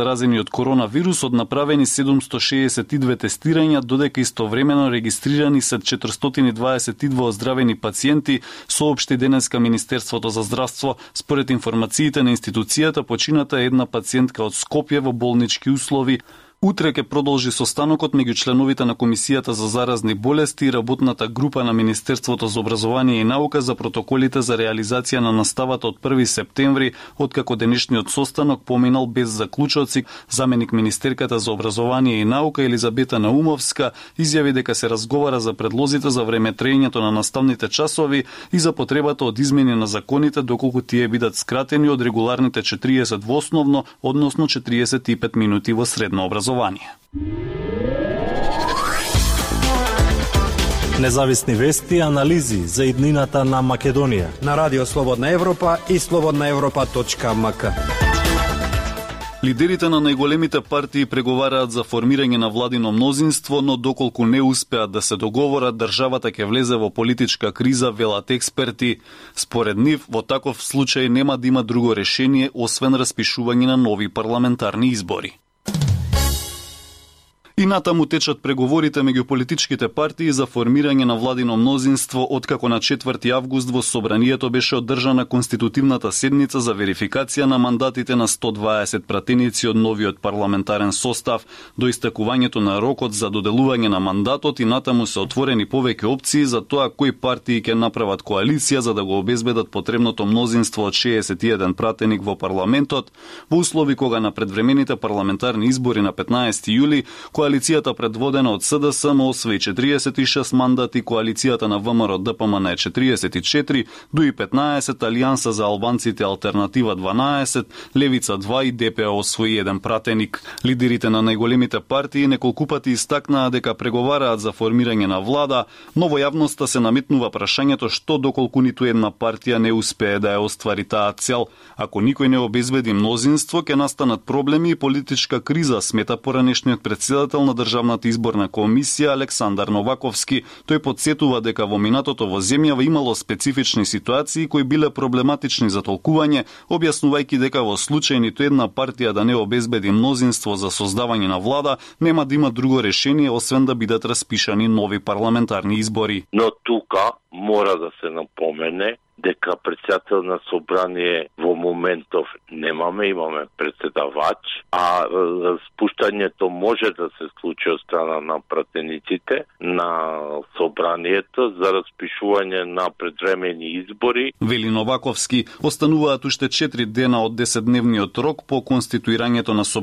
заразени од коронавирус, од направени 762 тестирања, додека истовремено регистрирани се 422 оздравени пациенти, соопшти денеска Министерството за здравство. Според информациите на институцијата, почината е една пациентка од Скопје во болнички услови. Утре ќе продолжи состанокот меѓу членовите на Комисијата за заразни болести и работната група на Министерството за образование и наука за протоколите за реализација на наставата од 1 септември, откако денешниот состанок поминал без заклучоци. Заменик министерката за образование и наука Елизабета Наумовска изјави дека се разговара за предлозите за времетрењето на наставните часови и за потребата од измени на законите доколку тие бидат скратени од регуларните 40 во основно, односно 45 минути во средно образование. Независни вести и анализи за иднината на Македонија на Радио Слободна Европа и slobodnaevropa.mk. Лидерите на најголемите партии преговараат за формирање на владино мнозинство, но доколку не успеат да се договорат, државата ќе влезе во политичка криза, велат експерти. Според нив, во таков случај нема да има друго решение освен распишување на нови парламентарни избори. И натаму течат преговорите меѓу политичките партии за формирање на владино мнозинство, откако на 4 август во Собранието беше одржана конститутивната седница за верификација на мандатите на 120 пратеници од новиот парламентарен состав. До истекувањето на рокот за доделување на мандатот и натаму се отворени повеќе опции за тоа кои партии ќе направат коалиција за да го обезбедат потребното мнозинство од 61 пратеник во парламентот, во услови кога на предвремените парламентарни избори на 15 јули коалицијата предводена од СДСМ освои 46 мандати, коалицијата на ВМРО ДПМН е 44, ДУИ 15, Алијанса за албанците Алтернатива 12, Левица 2 и ДПО освои 1 пратеник. Лидерите на најголемите партии неколку пати истакнаа дека преговараат за формирање на влада, но во јавноста се наметнува прашањето што доколку ниту една партија не успее да ја оствари таа цел. Ако никој не обезбеди мнозинство, ќе настанат проблеми и политичка криза, смета поранешниот председател на Државната изборна комисија Александар Новаковски. Тој потсетува дека во минатото во земјава имало специфични ситуации кои биле проблематични за толкување, објаснувајќи дека во случај ниту една партија да не обезбеди мнозинство за создавање на влада, нема да има друго решение освен да бидат распишани нови парламентарни избори. Но тука мора да се напомене дека председател на собрание во моментов немаме, имаме председавач, а спуштањето може да се случи од страна на пратениците на собранието за распишување на предвремени избори. Вели Новаковски, остануваат уште 4 дена од 10-дневниот рок по конституирањето на собранието